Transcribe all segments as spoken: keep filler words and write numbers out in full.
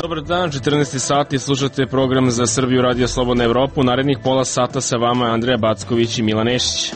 Dobar dan, četrnaesti sati, slušate program za Srbiju Radio Slobodna Evropa. U narednih pola sata sa vama je Andreja Backović i Milan Nešić.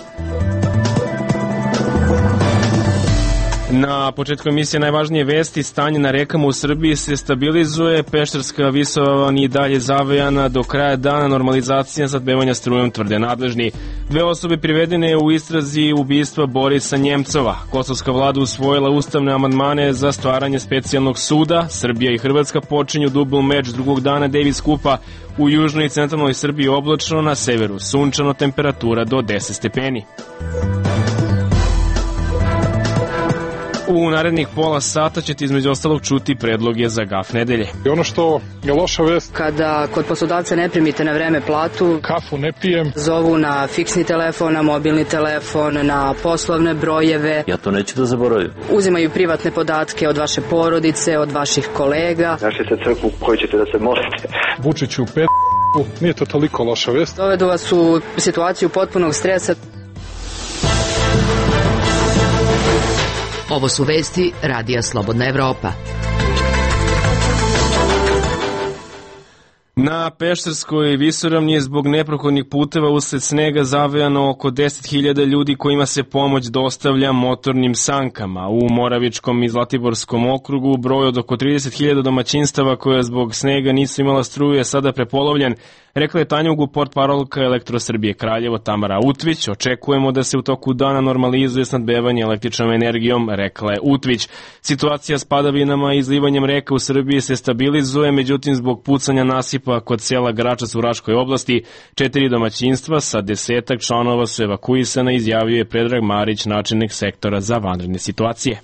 Na početku emisije najvažnije vesti: stanje na rekama u Srbiji se stabilizuje, Pešterska visoravan i dalje zavejana, do kraja dana normalizacija snabdevanja strujom, tvrde nadležni. Dve osobe privedene u istrazi ubistva Borisa Njemcova. Kosovska vlada usvojila ustavne amandmane za stvaranje specijalnog suda. Srbija i Hrvatska počinju dubl meč drugog dana Davis Kupa. U južnoj i centralnoj Srbiji oblačno, na severu sunčano, temperatura do deset stepeni. U narednih pola sata ćete između ostalog čuti predloge za gaf nedelje. I ono što je loša vest: kada kod poslodavca ne primite na vreme platu, kafu ne pijem, zovu na fiksni telefon, na mobilni telefon, na poslovne brojeve. Ja to neću da zaboravim. Uzimaju privatne podatke od vaše porodice, od vaših kolega. Našli ste crkvu u kojoj ćete da se molite. Vučiću pet, nije to toliko loša vest. Dovedu vas u situaciju potpunog stresa. Ovo su vesti Radija Slobodna Evropa. Na Pešterskoj visoravni je zbog neprohodnih puteva usled snega zavejano oko deset hiljada ljudi kojima se pomoć dostavlja motornim sankama. U Moravičkom i Zlatiborskom okrugu broj od oko trideset hiljada domaćinstava koja zbog snega nisu imala struju je sada prepolovljen, rekla je Tanja Ugu, portparolka Elektrosrbije Kraljevo Tamara Utvić. Očekujemo da se u toku dana normalizuje snabdevanje električnom energijom, rekla je Utvić. Situacija s padavinama i izlivanjem reka u Srbiji se stabilizuje, međutim zbog pucanja nasipa kod sela Gračac u Raškoj oblasti, četiri domaćinstva sa desetak članova su evakuisana, izjavio je Predrag Marić, načelnik sektora za vanredne situacije.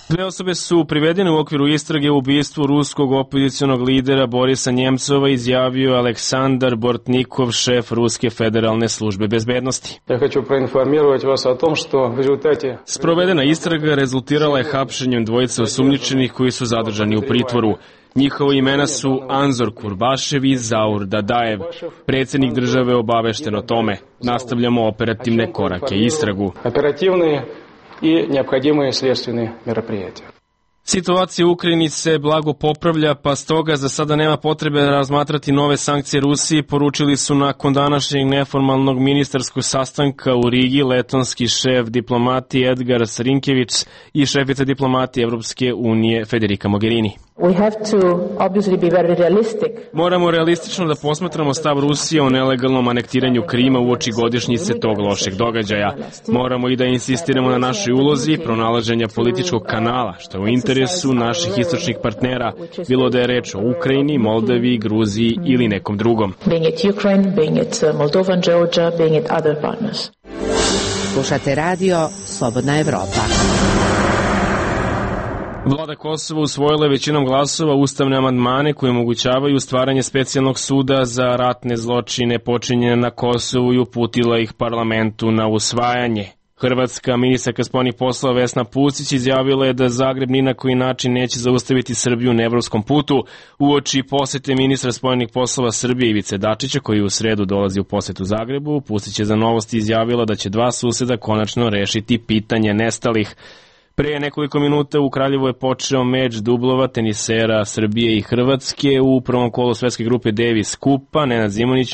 Dve osobe su privedene u okviru istrage u ubistvu ruskog opozicionog lidera Borisa Njemcova, izjavio Aleksandar Bortnikov, šef Ruske federalne službe bezbednosti. Ja hoću proinformirati vas o tom što v rezultate... Sprovedena istraga rezultirala je hapšenjem dvojice osumnjičenih koji su zadržani u pritvoru. Njihova imena su Anzor Kurbašev i Zaur Dadajev. Predsjednik države obavešten o tome. Nastavljamo operativne korake i istragu. Operativne i neophodimые следственные мероприятия. Situacija u Ukrajini se blago popravlja, pa stoga za sada nema potrebe razmatrati nove sankcije Rusiji, poručili su nakon današnjeg neformalnog ministarskog sastanka u Rigi letonski šef diplomatije Edgar Srinkević i šefica diplomatije Evropske unije Federica Mogherini. We have to obviously be very realistic. Moramo realistično da posmatramo stav Rusije o nelegalnom anektiranju Krima uoči godišnjice tog lošeg događaja. Moramo i da insistiramo na našoj ulozi pronalaženja političkog kanala, što je u interesu naših istočnih partnera, bilo da je reč o Ukrajini, Moldaviji, Gruziji ili nekom drugom. Being it Ukraine, being it Moldova, Georgia, being it other partners. Slušate radio Slobodna Evropa. Vlada Kosova usvojila je većinom glasova ustavne amandmane koji omogućavaju stvaranje specijalnog suda za ratne zločine počinjene na Kosovu i uputila ih parlamentu na usvajanje. Hrvatska ministarka spoljnih poslova Vesna Pusić izjavila je da Zagreb ni na koji način neće zaustaviti Srbiju na evropskom putu. Uoči posete ministra spoljnih poslova Srbije Ivice Dačića, koji u sredu dolazi u posetu Zagrebu, Pusić je za Novosti izjavila da će dva suseda konačno rešiti pitanje nestalih. Pre nekoliko minuta u Kraljevu je počeo meč dublova tenisera Srbije i Hrvatske. U prvom kolu svetske grupe Davis Kupa Nenad Zimonjić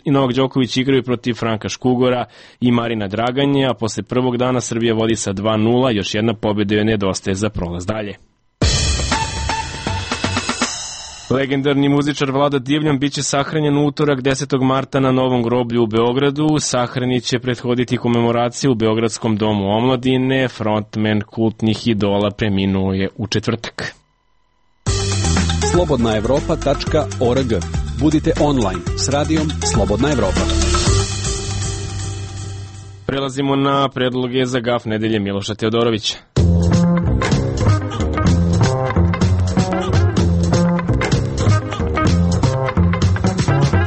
i Novak Đoković igraju protiv Franka Škugora i Marina Draganje, a posle prvog dana Srbija vodi sa dva nula, još jedna pobjeda joj nedostaje za prolaz dalje. Legendarni muzičar Vlada Divljan biće sahranjen u utorak desetog marta na Novom groblju u Beogradu. Sahrani će prethoditi komemoraciju u Beogradskom domu omladine. Frontman kultnih idola preminuo je u četvrtak. slobodna evropa tačka org. Budite online s radijom Slobodna Evropa. Prelazimo na predloge za gaf nedelje Miloša Teodorovića.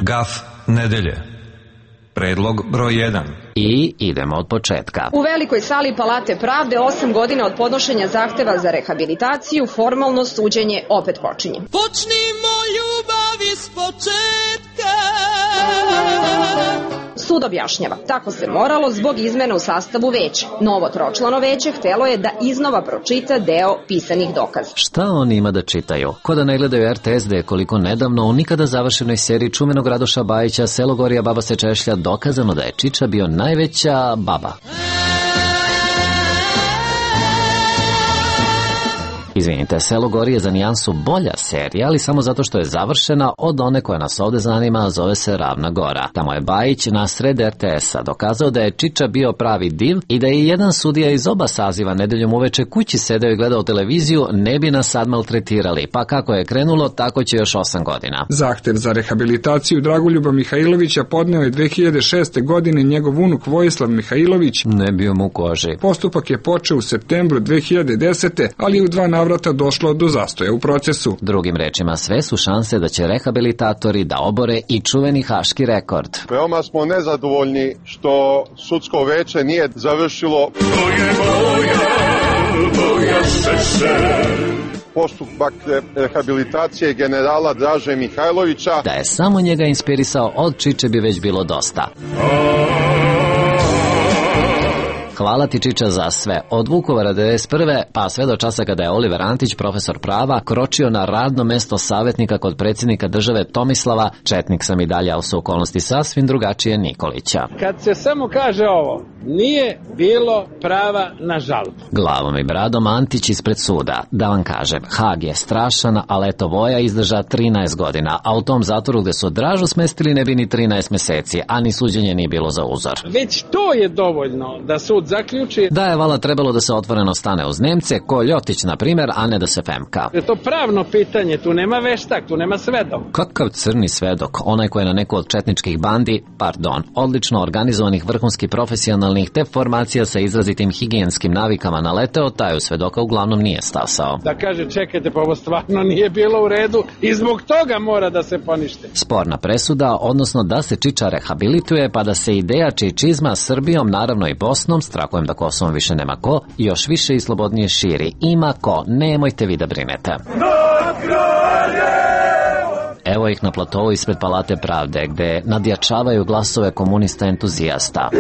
Gaf nedelje. Predlog broj jedan. I idemo od početka. U velikoj sali Palate pravde osam godina od podnošenja zahteva za rehabilitaciju, formalno suđenje opet počinje. Počnimo ljubav iz početka. Sud objašnjava, tako se moralo zbog izmene u sastavu veća. Novo tročlano veće htelo je da iznova pročita deo pisanih dokaza. Šta oni ima da čitaju? Ko da ne gledaju er te es da je koliko nedavno u nikada završenoj seriji čuvenog Radoša Bajića Selo Gorija baba se češlja dokazano da je Čiča bio najveća baba. Izvinite, Selo Gori je za nijansu bolja serija, ali samo zato što je završena od one koja nas ovde zanima, a zove se Ravna Gora. Tamo je Bajić na sred er te es-a dokazao da je Čiča bio pravi div i da je jedan sudija iz oba saziva nedeljom uveče kući sedeo i gledao televiziju, ne bi nas sad maltretirali. Pa kako je krenulo, tako će još osam godina. Zahtev za rehabilitaciju Dragoljuba Mihajlovića podneo je dve hiljade šeste. godine njegov unuk Vojislav Mihajlović. Ne bio mu u koži. Postupak je počeo u septembru dve hiljade desete. ali je u dva navrata došlo do zastoja u procesu. Drugim rečima, sve su šanse da će rehabilitatori da obore i čuveni haški rekord. Veoma smo nezadovoljni što sudsko veće nije završilo postupak rehabilitacije generala Draže Mihajlovića. Da je samo njega inspirisao, od Čiče bi već bilo dosta. Hvala ti, Čiča, za sve. Od Vukovara devedeset prve pa sve do časa kada je Oliver Antić, profesor prava, kročio na radno mesto savjetnika kod predsjednika države Tomislava, četnik sam i dalje, u su okolnosti sasvim drugačije, Nikolića. Kad se samo kaže ovo, nije bilo prava na žalbu. Glavom i bradom Antić ispred suda. Da vam kažem, Hag je strašan, ali eto Voja izdrža trinaest godina, a u tom zatvoru gde su Dražu smestili ne bi ni trinaest meseci, a ni suđenje nije bilo za uzor. Već to je dovoljno da sud zaključi da je vala trebalo da se otvoreno stane uz Nemce, ko Ljotić na primjer, a ne da se femka. Je to pravno pitanje, tu nema veštak, tu nema svedok. Kakav crni svedok, onaj koji je na neku od četničkih bandi, pardon, odlično organizovanih vrhunski profesionalnih te formacija sa izrazitim higijenskim navikama naleteo, taj svedoka uglavnom nije stasao. Da kaže, čekajte, pa ovo stvarno nije bilo u redu i zbog toga mora da se ponište. Sporna presuda, odnosno da se Čiča rehabilituje, pa da se ideja čičizma Srbijom, naravno i Bosnom, strahujem da Kosovom više nema ko, još više i slobodnije širi. Ima ko, nemojte vi da brinete. Evo ih na platovu ispred Palate pravde, gde nadjačavaju glasove komunista entuzijasta.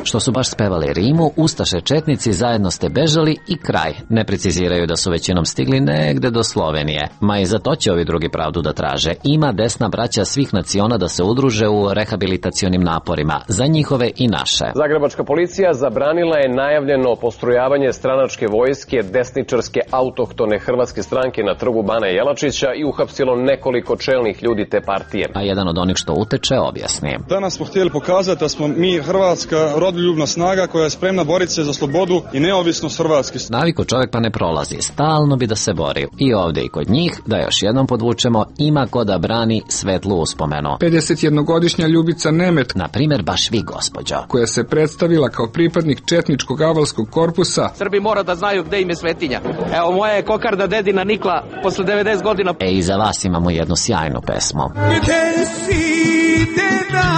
Što su baš spevali rimu, ustaše četnici zajedno ste bežali i kraj. Ne preciziraju da su većinom stigli negde do Slovenije. Ma i za to će ovi drugi pravdu da traže. Ima desna braća svih naciona da se udruže u rehabilitacionim naporima, za njihove i naše. Zagrebačka policija zabranila je najavljeno postrojavanje stranačke vojske desničarske autohtone hrvatske stranke na trgu Bana Jelačića i uhapsilo nekoliko čelnih ljudi te partije. A jedan od onih što uteče objasni. Danas smo htjeli pokazati da smo mi Hrvatska rodoljubna snaga koja je spremna boriti se za slobodu i neovisnost Hrvatske. Naviko čovjek pa ne prolazi, stalno bi da se bori. I ovdje i kod njih, da još jednom podvučemo, ima ko da brani svetlu uspomenu. pedesetjednogodišnja Ljubica Nemet, na primjer baš vi, gospođo, koja se predstavila kao pripadnik četničkog avalskog korpusa. Srbi mora da znaju gde im je svetinja. Evo, moja je kokarda dedina nikla posle devedeset godina. E, i za vas imamo jednu sjajnu pesmu. Gde si deda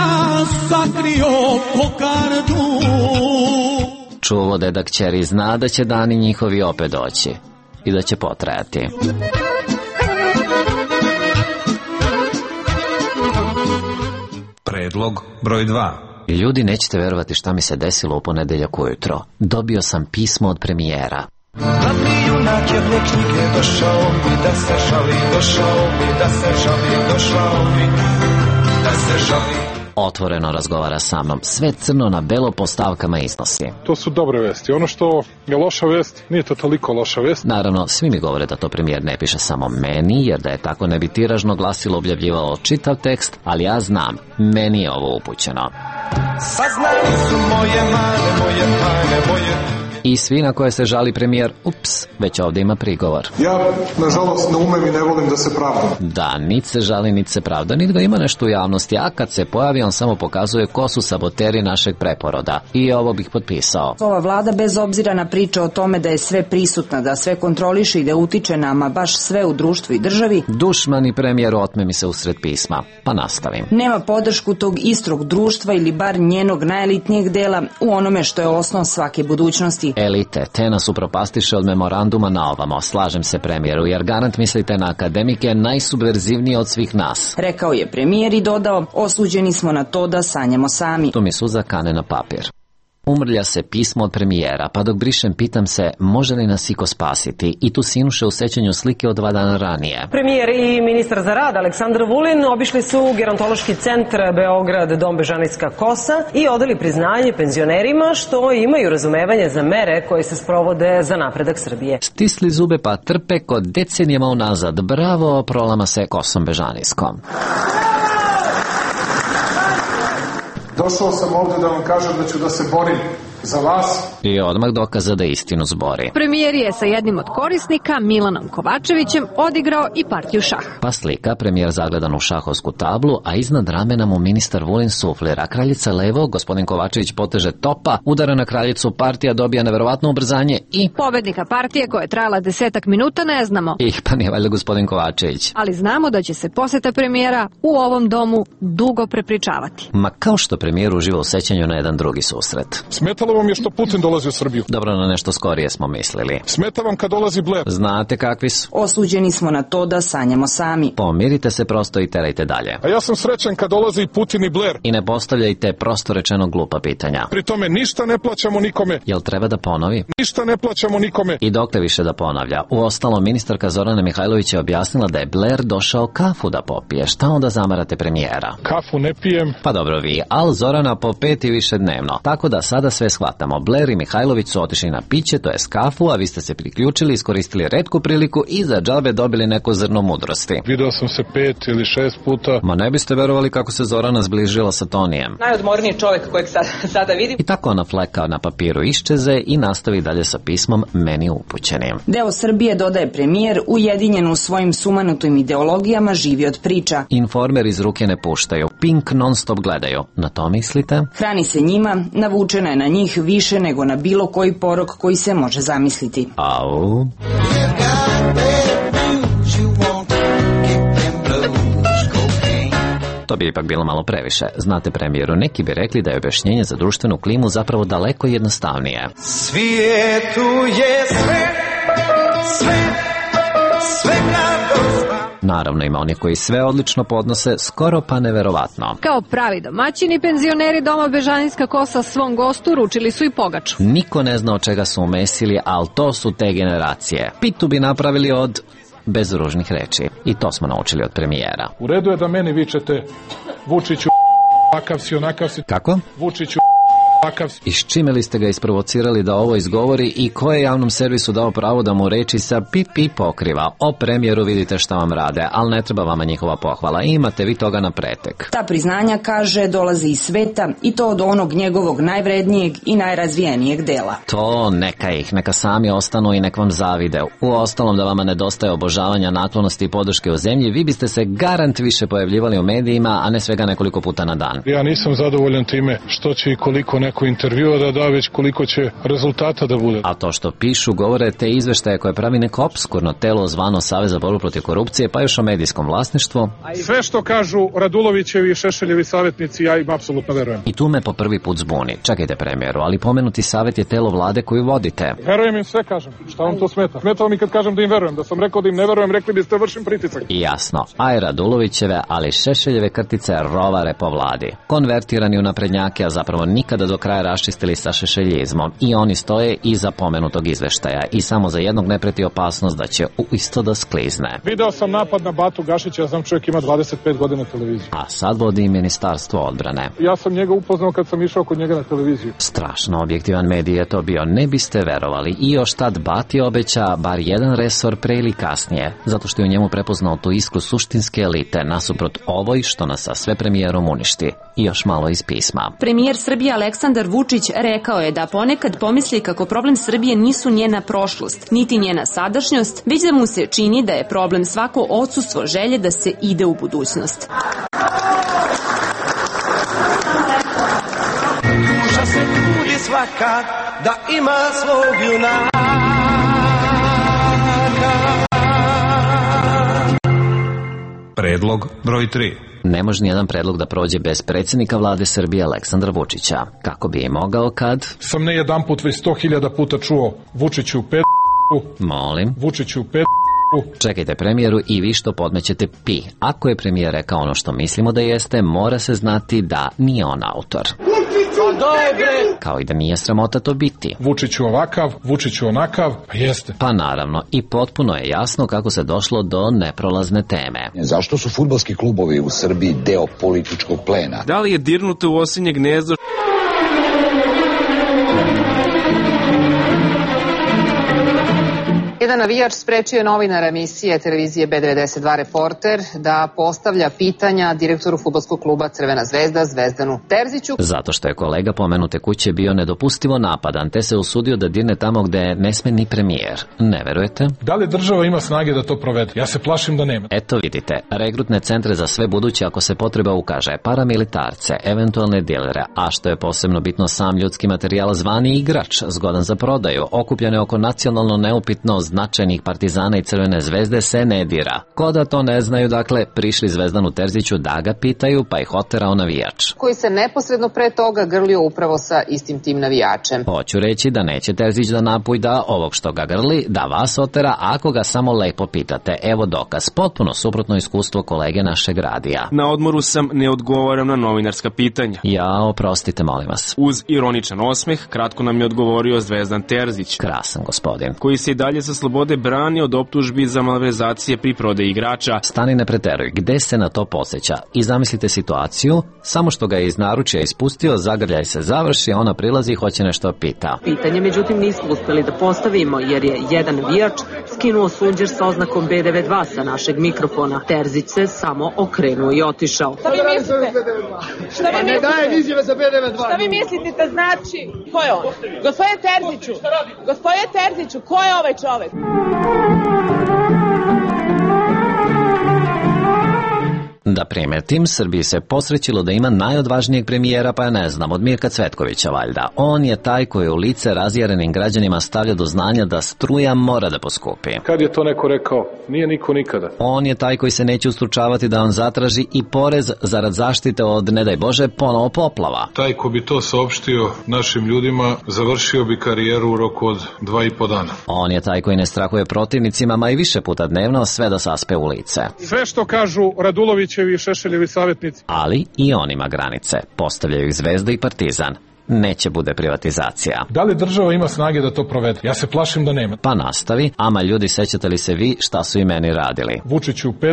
sakrio kokardu? Čuvo deda kćeri zna da će dani njihovi opet doći i da će potrajati. Predlog broj dva. Ljudi, nećete verovati šta mi se desilo u ponedeljak ujutro. Dobio sam pismo od premijera. Glavni junak jedne knjige došao mi da se žali, došao mi da se žali, došao mi da se žali. Otvoreno razgovara sa mnom, sve crno na belo po stavkama iznosi. To su dobre vesti. Ono što je loša vest, nije to toliko loša vest. Naravno, svi mi govore da to premijer ne piše samo meni, jer da je tako ne bi tiražno glasilo objavljivalo čitav tekst, ali ja znam, meni je ovo upućeno. Saznali su moje mane, moje pane, moje... I svi na koje se žali premijer, ups, već ovdje ima prigovor. Ja, nažalost, ne umem i ne volim da se pravdam. Da, nit se žali, nit se pravda, nit ga ima nešto u javnosti, a kad se pojavi, on samo pokazuje ko su saboteri našeg preporoda. I ovo bih potpisao. Ova vlada, bez obzira na priče o tome da je sve prisutna, da sve kontroliše i da utiče nama baš sve u društvu i državi. Dušmani premijer otme mi se usred pisma, pa nastavim. Nema podršku tog istog društva ili bar njenog najelitnijeg dela u onome što je osnov svake budućnosti reči. Elite, te nas upropastiše od memoranduma na ovamo. Slažem se, premijeru, jer garant mislite na akademike najsubverzivnije od svih nas. Rekao je premijer i dodao, osuđeni smo na to da sanjamo sami. Tu mi suza kane na papir. Umrlja se pismo od premijera, pa dok brišem pitam se može li nas iko spasiti i tu sinuše u sećanju slike od dva dana ranije. Premijer i ministar za rad Aleksandar Vulin obišli su gerontološki centar Beograd, Dom Bežanijska kosa i odali priznanje penzionerima što imaju razumevanje za mere koje se sprovode za napredak Srbije. Stisli zube pa trpe kod decenijama unazad. Bravo, prolama se kosom Bežanijskom. Došao sam ovde da vam kažem da ću da se borim za vas. I odmah dokaza da istinu zbori. Premijer je sa jednim od korisnika, Milanom Kovačevićem, odigrao i partiju šah. Pa slika, premijer zagledan u šahovsku tablu, a iznad ramena mu ministar Vulin suflira. Kraljica levo, gospodin Kovačević poteže topa, udara na kraljicu, partija dobija neverovatno ubrzanje i... Pobednika partije koja je trajala desetak minuta ne znamo. Ih, pa nije valjda gospodin Kovačević. Ali znamo da će se poseta premijera u ovom domu dugo prepričavati. Ma kao što premijer uživa u sećanju na jedan drugi susret. Smetalo vam je što Putin dolazi u Srbiju. Dobro, na nešto skorije smo mislili. Smeta vam kad dolazi Blair. Znate kakvi su. Osuđeni smo na to da sanjamo sami. Pomirite se prosto i terajte dalje. A ja sam srećan kad dolazi i Putin i Blair. I ne postavljajte prosto rečeno glupa pitanja. Pri tome ništa ne plaćamo nikome. Jel treba da ponovi? Ništa ne plaćamo nikome. I dokle više da ponavlja. Uostalom, ministarka Zorana Mihajlović je objasnila da je Blair došao kafu da popije. Šta onda zamarate premijera? Kafu ne pijem. Pa dobro vi, al Zorana po pet i više dnevno. Tako da sada sve shvatamo. Blair i Mihajlović su otišli na piće, to je kafu, a vi ste se priključili, iskoristili retku priliku i za džabe dobili neko zrno mudrosti. Video sam se pet ili šest puta. Ma ne biste verovali kako se Zorana zbližila sa Tonijem. Najodmorniji čovjek kojeg sad, sada vidim. I tako ona fleka na papiru iščeze i nastavi dalje sa pismom meni upućenim. Deo Srbije, dodaje premijer, ujedinjen u svojim sumanutim ideologijama, živi od priča. Informer iz ruke ne puštaju, Pink non stop gledaju. Na to mislite? Hrani se njima, navučena je na njih više nego na bilo koji porok koji se može zamisliti. Au. To bi ipak bilo malo previše. Znate, premijeru, neki bi rekli da je objašnjenje za društvenu klimu zapravo daleko jednostavnije. Svijetu je sve, sve, svega dosta. Naravno, ima oni koji sve odlično podnose, skoro pa neverovatno. Kao pravi domaćini, penzioneri Doma Bežanijska kosa svom gostu ručili su i pogaču. Niko ne zna od čega su umesili, ali to su te generacije. Pitu bi napravili od... bez ružnih reči. I to smo naučili od premijera. U redu je da meni vičete Vučiću, takav si, onakav si. Kako? Vučiću, takav si. I s čime li ste ga isprovocirali da ovo izgovori i ko je javnom servisu dao pravo da mu reči sa pip pip pokriva? O premijeru vidite šta vam rade, ali ne treba vama njihova pohvala. Imate vi toga na pretek. Ta priznanja, kaže, dolazi iz sveta i to od onog njegovog najvrednijeg i najrazvijenijeg dela. To neka ih, neka sami ostanu i nek vam zavide. U ostalom, da vama nedostaje obožavanja, naklonosti i podrške u zemlji, vi biste se garant više pojavljivali u medijima, a ne svega nekoliko puta na dan. Ja nisam zadovoljan time što će i koliko neko intervjua da da, već koliko će rezultata da bude. A to što pišu, govore te izveštaje koje pravi neko obskurno telo zvano Savez za borbu protiv korupcije, pa još o medijskom vlasništvu. Sve što kažu Radulovićevi i Šešeljevi savjetnici, ja im apsolutno verujem. I tu me po prvi put zbuni. Čekajte, premijeru, ali pomenuti savjet je telo vlade koju vodite. Verujem im sve, kažem. Šta vam to smeta? Smeta mi kad kažem da im verujem. Da sam rekao da im ne verujem, rekli biste vršim pritisak. I jasno. Aj Radulovićeve, ali Šešeljeve krtice rovare po vladi. Konvertirani u naprednjake, a zapravo nikada do kraja raščistili sa šešeljizmom. I oni stoje iza pomenutog izveštaja. I samo za jednog ne preti opasnost da će u isto da sklizne. Video sam napad na Batu Gašića, ja znam čovjek ima dvadeset pet godina televiziju. A sad vodi i Ministarstvo odbrane. Ja sam njega upoznao kad sam išao kod njega na televiziju. Strašno objektivan medij je to bio, ne biste verovali. I još tad Bati obeća bar jedan resor pre ili kasnije, zato što je u njemu prepoznao tu iskru suštinske elite nasuprot ovoj što nas sa sve premijerom uništi. I još malo iz pisma. Premijer Srbije Aleksandar Vučić rekao je da ponekad pomisli kako problem Srbije nisu njena prošlost, niti njena sadašnjost, već da mu se čini da je problem svako odsustvo želje da se ide u budućnost. Duša se trudi svaka da ima svog junaka. Predlog broj tri. Ne može nijedan predlog da prođe bez predsjednika vlade Srbije Aleksandra Vučića. Kako bi je mogao kad... Sam ne jedan put, već sto hiljada puta čuo Vučiću pet... Molim. Vučiću pet... Čekajte premijeru i vi što podmećete pi. Ako je premijer rekao ono što mislimo da jeste, mora se znati da nije on autor. Kao i da nije sramota to biti. Vučiću ovakav, Vučiću onakav, pa jeste. Pa naravno, i potpuno je jasno kako se došlo do neprolazne teme. Zašto su fudbalski klubovi u Srbiji deo političkog plena? Da li je dirnuto u osinje gnezdo? Jedan navijač sprečio je novinar emisije televizije be devedeset dva Reporter da postavlja pitanja direktoru fudbalskog kluba Crvena zvezda Zvezdanu Terziću. Zato što je kolega pomenute kuće bio nedopustivo napadan, te se usudio da dirne tamo gde ne sme ni premijer. Ne verujete? Da li država ima snage da to provede? Ja se plašim da nema. Eto vidite, regrutne centre za sve buduće ako se potreba ukaže, paramilitarce, eventualne dilere, a što je posebno bitno sam ljudski materijal zvani igrač, zgodan za prodaju, okupljene oko nacionalno neupitno značajnih Partizana i Crvene zvezde se ne dira. Ko da to ne znaju, dakle, prišli Zvezdanu Terziću da ga pitaju, pa ih oterao navijač. Koji se neposredno pre toga grlio upravo sa istim tim navijačem. Hoću reći da neće Terzić da napujda ovog što ga grli, da vas otera ako ga samo lepo pitate. Evo dokaz, potpuno suprotno iskustvo kolege našeg radija. Na odmoru sam, ne odgovaram na novinarska pitanja. Ja, oprostite, molim vas. Uz ironičan osmeh, kratko nam je odgovorio Zvezdan Terzić. Krasan gospodin. Koji se i dalje sa slobode brani od optužbi za malverzacije pri prodaji igrača. Stani, ne preteruj, gde se na to podsjeća? I zamislite situaciju, samo što ga je iz naručja ispustio, zagrljaj se završi, ona prilazi i hoće nešto pita. Pitanje, međutim, nismo uspeli da postavimo, jer je jedan navijač skinuo sunđer sa oznakom be devedeset dva sa našeg mikrofona. Terzić se samo okrenuo i otišao. Šta vi mislite? Šta vi mislite? Ne daje izjave za be devedeset dva. Šta vi mislite da znači? Ko je on? Gospodine Terziću, gospodine Terziću, ko je ovaj čovek? Da primetim, Srbiji se posrećilo da ima najodvažnijeg premijera, pa ja ne znam, od Mirka Cvetkovića valjda. On je taj koji u lice razjarenim građanima stavlja do znanja da struja mora da poskupi. Kad je to neko rekao? Nije niko nikada. On je taj koji se neće ustručavati da on zatraži i porez zarad zaštite od, ne daj Bože, ponovo poplava. Taj ko bi to saopštio našim ljudima, završio bi karijeru u roku od dva i po dana. On je taj koji ne strahuje protivnicima, ma i više puta dnevno, sve da saspe u lice. Sve što kažu Radulović i Šešeljevi savjetnici. Ali i on ima granice. Postavljaju ih Zvezda i Partizan. Neće bude privatizacija. Da li država ima snage da to provede? Ja se plašim da nema. Pa nastavi, ama ljudi, sećate li se vi šta su i meni radili? Vučiću pet...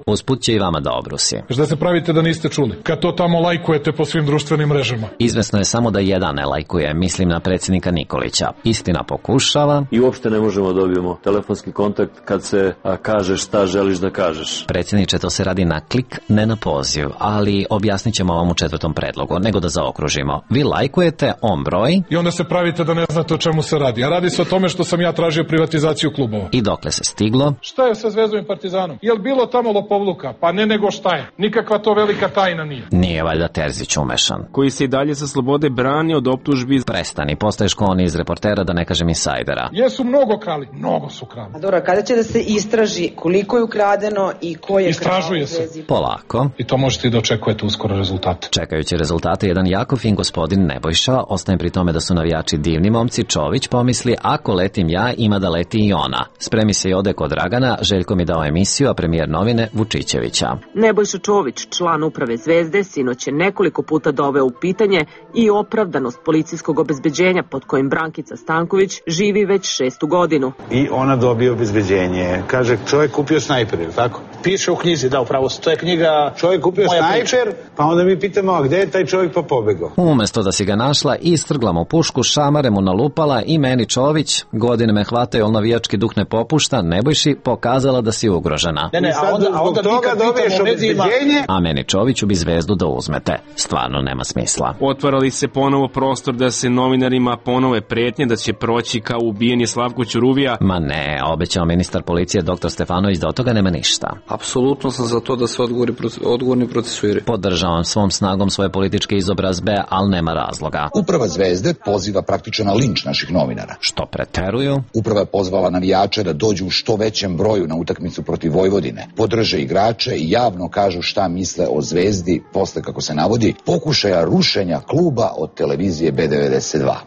Usput će i vama da obrusi. Šta se pravite da niste čuli? Kad to tamo lajkujete po svim društvenim mrežama? Izvesno je samo da jedan ne lajkuje, mislim na predsjednika Nikolića. Istina pokušava. I uopšte ne možemo da dobijemo telefonski kontakt kad se a, kažeš šta želiš da kažeš. Predsjedniče, to se radi na klik, ne na poziv, ali objasnit ćemo vam u četvrtom predlogu, nego da zaokružimo. Vi lajkujete, on broj. I onda se pravite da ne znate o čemu se radi. A radi se o tome što sam ja tražio privatizaciju klubova. I dokle se stiglo? Šta je sa Zvezdom i Partizanom? Jel bilo tamo lopovluka? Pa ne, nego šta je. Nikakva to velika tajna nije. Nije valjda Terzić umešan. Koji se i dalje sa slobode brani od optužbi. Prestani, postaješ ko on iz Reportera, da ne kažem insajdera. Jesu mnogo krali, mnogo su krali. A dobro, kada će da se istraži koliko je ukradeno i ko je Istražuje se. Polako. I to možete i da očekujete uskoro rezultate. Čekajući rezultate, jedan jako fin gospodin Nebojša ostaje pri tome da su navijači divni momci. Čović pomisli, ako letim ja, ima da leti i ona. Spremi se i ode kod Dragana, Željko mi dao emisiju, a premijer novine Vučićevića. Nebojša Čović, član uprave Zvezde, sinoć je nekoliko puta doveo u pitanje i opravdanost policijskog obezbeđenja pod kojim Brankica Stanković živi već šestu godinu. I ona dobije obezbeđenje. Kaže, čovjek kupio snajper, ili tako? Piše u knjizi, da, upravo to je knjiga. Čovjek kupio snajper, pa onda mi pitamo, a gde je taj čovjek pa pobegao? Umesto da si ga našla, istrgla mu pušku, šamare mu nalupala i meni Čović, godine me hvataju, ali navijački duh ne popušta, Nebojši, pokazala da si ugrožena. Ne, ne, a onda, a onda toga dobiješ obezbeđenje. A meni Čoviću bi Zvezdu da uzmete. Stvarno nema smisla. Otvarali se ponovo prostor da se novinarima ponove pretnje da će proći kao ubijeni Slavko Ćuruvija. Ma ne, obećao ministar policije doktor Stefanović da od toga nema ništa. Apsolutno sam za to da se odgovori, odgovorni procesuiraju. Podržavam svom snagom svoje političke izobrazbe, ali nema razloga. Uprava Zvezde poziva praktično na linč naših novinara. Što preteruju? Uprava je pozvala navijače da dođu u što većem broju na utakmicu protiv Vojvodine. Podržavam trže igrače i javno kažu šta misle o Zvezdi posle, kako se navodi, pokušaja rušenja kluba od televizije B devedeset dva.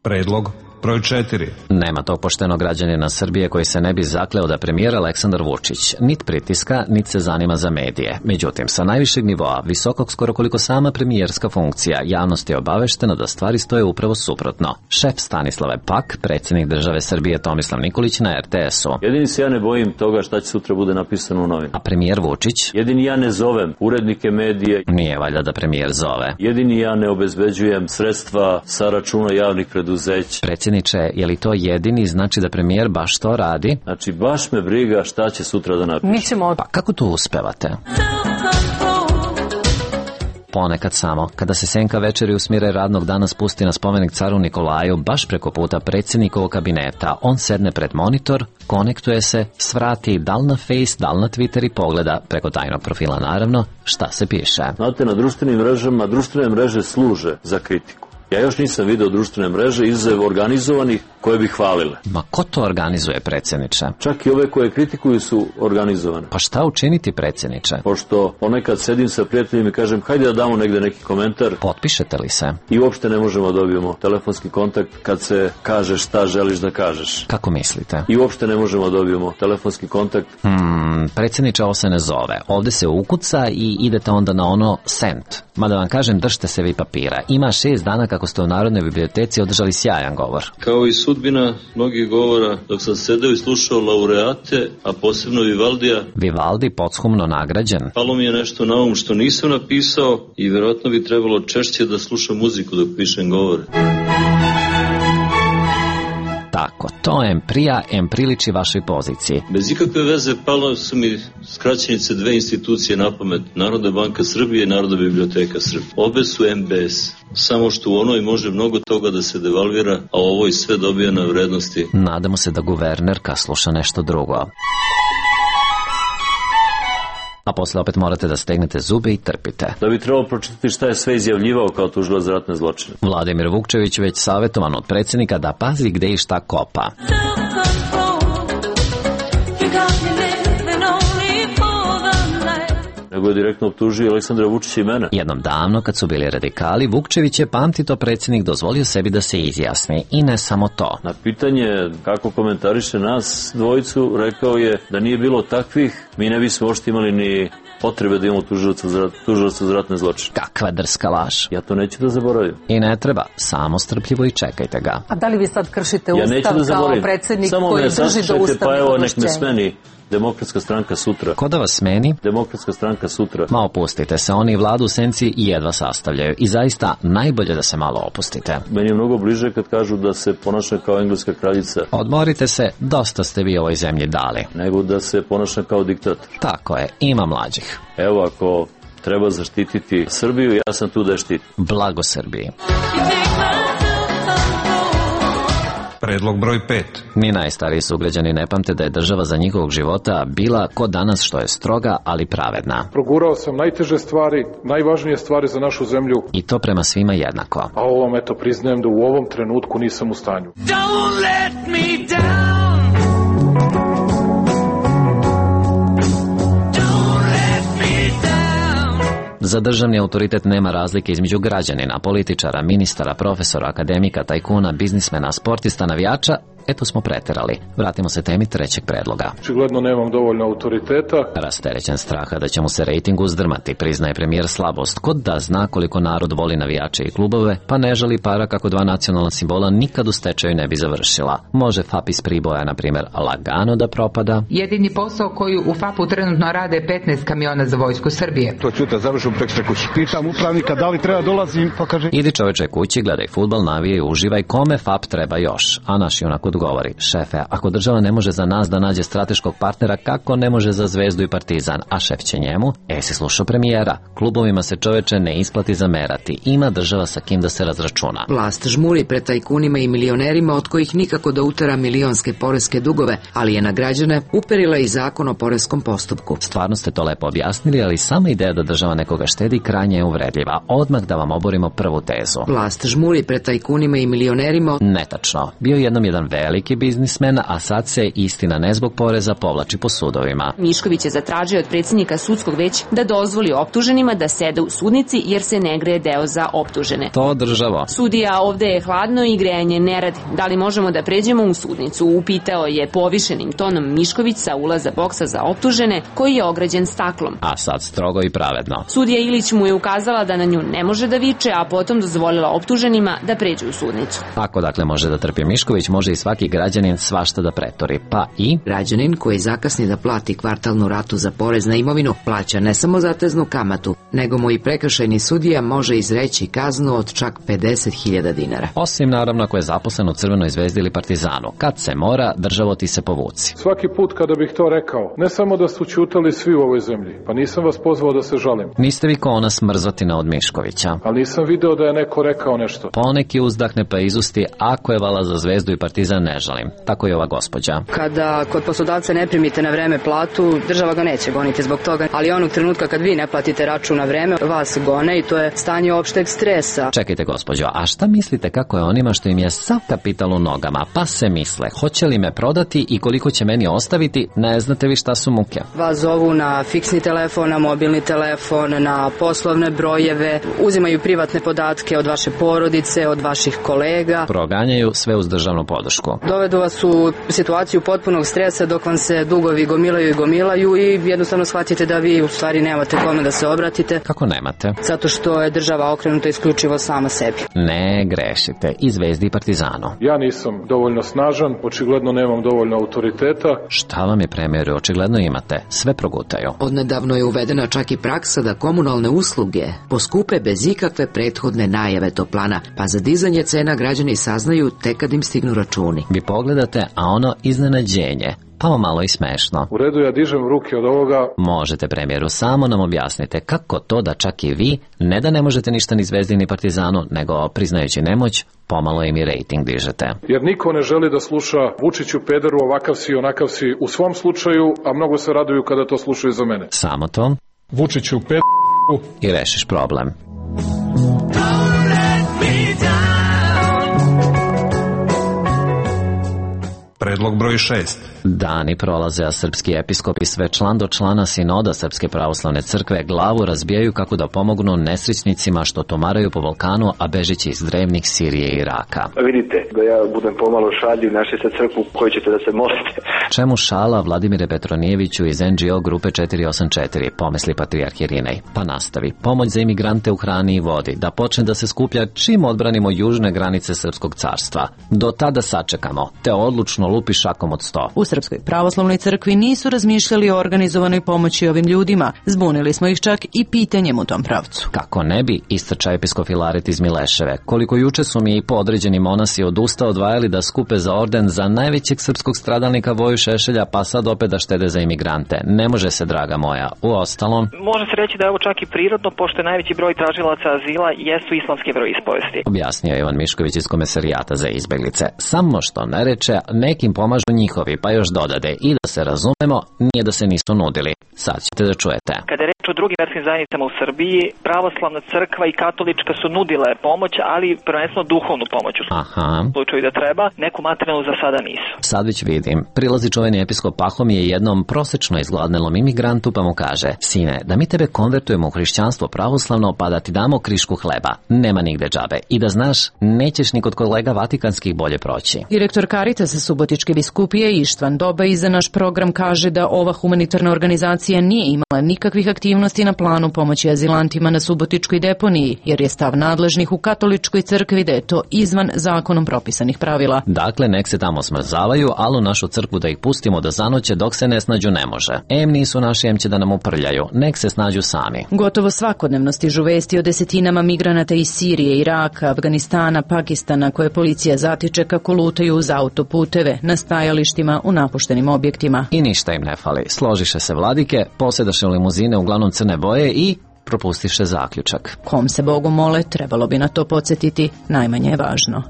Predlog broj četiri. Nema tog poštenog građanina Srbije koji se ne bi zakleo da premijer Aleksandar Vučić nit pritiska, nit se zanima za medije. Međutim, sa najvišeg nivoa, visokog skoro koliko sama premijerska funkcija, javnost je obaveštena da stvari stoje upravo suprotno. Šef Stanislave pak, predsjednik države Srbije Tomislav Nikolić na er te esu. Jedini se ja ne bojim toga šta će sutra bude napisano u novinu. A premijer Vučić? Jedini ja ne zovem urednike medije. Nije valjda da premijer zove. Jedini ja ne obezbeđujem sredstva sa računa javnih preduzeća. Je li to jedini, znači da premijer baš to radi? Znači, baš me briga šta će sutra da napiše. Mi ćemo... Pa kako to uspevate? Ponekad samo, kada se senka večeri u smire radnog dana spusti na spomenik caru Nikolaju, baš preko puta predsjednikovog kabineta, on sedne pred monitor, konektuje se, svrati dal na Face, dal na Twitter i pogleda, preko tajnog profila naravno, šta se piše. Znate, na društvenim mrežama, društvene mreže služe za kritiku. Ja još nisam video društvene mreže izuzev organizovanih koje bi hvalile. Ma ko to organizuje, predsjedniče? Čak i ove koje kritikuju su organizovane. Pa šta učiniti, predsjedniče? Pošto ponekad sedim sa prijateljima i kažem hajde da damo negde neki komentar. Potpišete li se? I uopšte ne možemo da dobijemo telefonski kontakt kad se kaže šta želiš da kažeš. Kako mislite? I uopšte ne možemo da dobijemo telefonski kontakt. Hmm, predsjedniče, ovo se ne zove. Ovde se ukuca i idete onda na ono send. Mada vam kažem, držite se vi papira. Ima šest dana kako ste u Narodnoj biblioteci održali sjajan govor. Kao i sudbina mnogih govora, dok sam sedeo i slušao laureate, a posebno Vivaldija. Vivaldi pothumno nagrađen. Palo mi je nešto na um što nisam napisao i verovatno bi trebalo češće da slušam muziku dok pišem govore. Tako, to em prija, em priliči vašoj poziciji. Bez ikakve veze palo su mi skraćenice dve institucije na pamet, Narodna banka Srbije i Narodna biblioteka Srbije. Obe su em be es, samo što u onoj može mnogo toga da se devalvira, a u ovoj sve dobija na vrednosti. Nadamo se da guvernerka sluša nešto drugo. A posle opet morate da stegnete zube i trpite. Da bi trebalo pročitati šta je sve izjavljivao kao tužilac za ratne zločine. Vladimir Vukčević već savjetovan od predsjednika da pazi gde i šta kopa. Nego je direktno optužio Aleksandra Vučića i mene. Jednom davno, kad su bili radikali, Vukčević je, pamti to, predsjednik dozvolio sebi da se izjasni. I ne samo to. Na pitanje kako komentariše nas dvojicu, rekao je da nije bilo takvih, mi ne bismo ošte imali ni potrebe da imamo tužilaca za ratne zločine. Kakva drska laž. Ja to neću da zaboravim. I ne treba, samo strpljivo i čekajte ga. A da li vi sad kršite ja ustav da kao predsjednik samo koji drži do ustavnih pa evo, nek me ovlašćenja? smeni Demokratska stranka sutra. Ko da vas smeni? Demokratska stranka sutra. Ma opustite se, oni vladu u senci jedva sastavljaju i zaista najbolje da se malo opustite. Meni je mnogo bliže kad kažu da se ponaša kao engleska kraljica. Odmorite se, dosta ste vi ovoj zemlji dali. Nego da se ponaša kao diktator. Tako je, ima mlađih. Evo, ako treba zaštititi Srbiju, ja sam tu da je štitim. Blago Srbiji. Predlog broj pet. Ni najstariji sugrađani ne pamte da je država za njihovog života bila ko danas, što je stroga, ali pravedna. Progurao sam najteže stvari, najvažnije stvari za našu zemlju. I to prema svima jednako. A ovom, eto, priznajem da u ovom trenutku nisam u stanju. Don't let me down. Za državni autoritet nema razlike između građanina, političara, ministara, profesora, akademika, tajkuna, biznismena, sportista, navijača. Eto smo preterali. Vratimo se temi trećeg predloga. Očigledno nemam dovoljno autoriteta. Rasterećen straha da će mu se rejting uzdrmati, priznaje premijer slabost, kod da zna koliko narod voli navijače i klubove, pa ne žali para kako dva nacionalna simbola nikad u stečaju ne bi završila. Može F A P iz Priboja, na primjer, lagano da propada. Jedini posao koji u F A P-u trenutno rade petnaest kamiona za vojsku Srbije. To ću te završim prek sve kući. Pitam upravnika da li treba dolazim, pa kaže... Idi čoveče kući, gledaj fudbal, navije i uživaj, kome F A P treba još. A naš junak odgovori: šefe, ako država ne može za nas da nađe strateškog partnera, kako ne može za Zvezdu i Partizan? A šef će njemu: e, si slušao premijera, klubovima se čoveče ne isplati zamerati, ima država sa kim da se razračuna. Vlast žmuri pred tajkunima i milionerima od kojih nikako da utera milionske poreske dugove, ali je na građane uperila i zakon o poreskom postupku. Stvarno ste to lepo objasnili, ali sama ideja da država nekoga štedi krajnje je uvredljiva. Odmah da vam oborimo prvu tezu. Vlast žmuri pred tajkunima i milionerima. Netačno. Bio jednom jedan veliki biznismen, a sad se istina ne zbog poreza povlači po sudovima. Mišković je zatražio od predsjednika sudskog veća da dozvoli optuženima da sede u sudnici jer se ne greje deo za optužene. To državo. Sudija, ovde je hladno i grejanje ne radi. Da li možemo da pređemo u sudnicu? Upitao je povišenim tonom Mišković sa ulaza boksa za optužene koji je ograđen staklom. A sad strogo i pravedno. Sudija Ilić mu je ukazala da na nju ne može da viče, a potom dozvolila optuženima da pređu u sudnicu. Ako dakle može da trpi Mišković, može i svaki građanin svašta da pretori. Pa i građanin koji zakasni da plati kvartalnu ratu za porez na imovinu plaća ne samo zateznu kamatu, nego mu i prekršajni sudija može izreći kaznu od čak pedeset hiljada dinara. Osim naravno ako je zaposlen u Crvenoj zvezdi ili Partizanu. Kad se mora, državo ti se povuci. Svaki put kada bih to rekao, ne samo da su ćutali svi u ovoj zemlji, pa nisam vas pozvao da se žalim. Niste vi ko ona smrzotina od Miškovića. Ali nisam video da je neko rekao nešto. Poneki uzdahne pa izusti, ako je vala za Zvezdu i Partizan ne žalim. Tako je ova gospođa. Kada kod poslodavca ne primite na vreme platu, država ga neće goniti zbog toga, ali onog trenutka kad vi ne platite račun na vreme, vas gone i to je stanje opšteg stresa. Čekajte gospođo, a šta mislite kako je onima što im je sav kapital u nogama, pa se misle, hoće li me prodati i koliko će meni ostaviti, ne znate vi šta su muke. Vas zovu na fiksni telefon, na mobilni telefon, na poslovne brojeve, uzimaju privatne podatke od vaše porodice, od vaših kolega. Proganjaju sve uz državnu podršku. Dovedu vas u situaciju potpunog stresa dok vam se dugovi gomilaju i gomilaju i jednostavno shvatite da vi u stvari nemate kome da se obratite. Kako nemate? Zato što je država okrenuta isključivo sama sebi. Ne grešite, i Zvezdi i Partizanu. Ja nisam dovoljno snažan, očigledno nemam dovoljno autoriteta. Šta vam je premijeru, očigledno imate, sve progutaju. Odnedavno je uvedena čak i praksa da komunalne usluge poskupe bez ikakve prethodne najave toplana, pa za dizanje cena građani saznaju tek kad im stignu računi. Vi pogledate, a ono iznenađenje, pa malo i smešno. U redu, ja dižem ruke od ovoga. Možete premijeru, samo nam objasnite kako to da čak i vi, ne da ne možete ništa ni Zvezdi ni Partizanu, nego priznajući nemoć, pomalo im i rejting dižete. Jer niko ne želi da sluša Vučiću pederu, ovakav si, onakav si u svom slučaju, a mnogo se raduju kada to slušaju za mene. Samo to? Vučiću pederu i rešiš problem. Predlog broj šest. Dani prolaze, a srpski episkopi sve član do člana sinoda Srpske pravoslavne crkve glavu razbijaju kako da pomognu nesrećnicima što tomaraju po Balkanu, a bežići iz drevnih Sirije i Iraka. Vidite, da ja budem pomalo šaljiv, našli se crkvu koju ćete da se molite. Čemu šala, Vladimire Petronijeviću iz en dže o grupe četiri osam četiri, pomisli patrijarh Irinej. Pa nastavi, pomoć za imigrante u hrani i vodi, da počne da se skuplja čim odbranimo južne granice Srpskog carstva. Do tada sačekamo, te odlučno lupi šakom od sto. U Srpskoj pravoslavnoj crkvi nisu razmišljali o organizovanoj pomoći ovim ljudima. Zbunili smo ih čak i pitanjem u tom pravcu. Kako ne bi, istrča episkop Filaret iz Mileševe. Koliko juče su mi i podređeni monasi od usta odvajali da skupe za orden za najvećeg srpskog stradalnika Voju Šešelja, pa sad opet da štede za imigrante. Ne može se, draga moja. U ostalom, može se reći da je ovo čak i prirodno, pošto je najveći broj tražilaca azila jesu islamski veroispovesti. Objasnio je Ivan Mišković iz Komesarijata za izbeglice. Samo što ne reče, nekim pomažu njihovi, pa još dodade i da se razumemo, nije da se nisu nudili. Sad ćete da čujete. Kada je reč o drugim verskim zajednicama u Srbiji, pravoslavna crkva i katolička su nudile pomoć, ali prvenstveno duhovnu pomoć u Aha. slučaju da treba, neku materijalnu za sada nisu. Sad već vidim. Prilazi čuveni episkop Pahomije jednom prosečno izgladnelom imigrantu pa mu kaže: sine, da mi tebe konvertujemo u hrišćanstvo pravoslavno pa da ti damo krišku hleba. Nema nigde džabe. I da znaš, nećeš ni kod kolega vatikanskih bolje proći. Direktor Karitasa Subotičke biskupije Ištvan Doba i za naš program kaže da ova humanitarna organizacija nije imala nikakvih aktivnosti na planu pomoći azilantima na Subotičkoj deponiji, jer je stav nadležnih u katoličkoj crkvi da je to izvan zakonom propisanih pravila. Dakle, nek se tamo smrzavaju, ali u našu crkvu da ih pustimo da zanoće dok se ne snađu ne može. Em nisu naši, em će da nam uprljaju. Nek se snađu sami. Gotovo svakodnevno stižu vesti o desetinama migranata iz Sirije, Iraka, Afganistana, Pakistana koje policija zatiče kako lutaju uz autoputeve, na stajalištima, u napuštenim objektima. I ništa im ne fali. Složiše se vladike, posjedaše limuzine uglavnom crne boje i propustiše zaključak. Kom se Bogu mole, trebalo bi na to podsjetiti, najmanje je važno.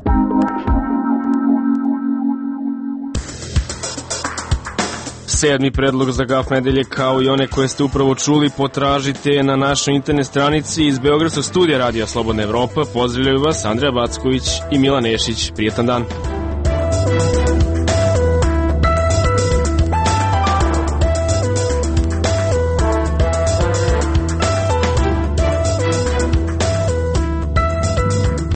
Sedmi predlog za Gaf nedelje, kao i one koje ste upravo čuli, potražite na našoj internet stranici. Iz Beogradskog studija Radija Slobodna Evropa pozdravljaju vas Andreja Backović i Milan Nešić. Prijetan dan.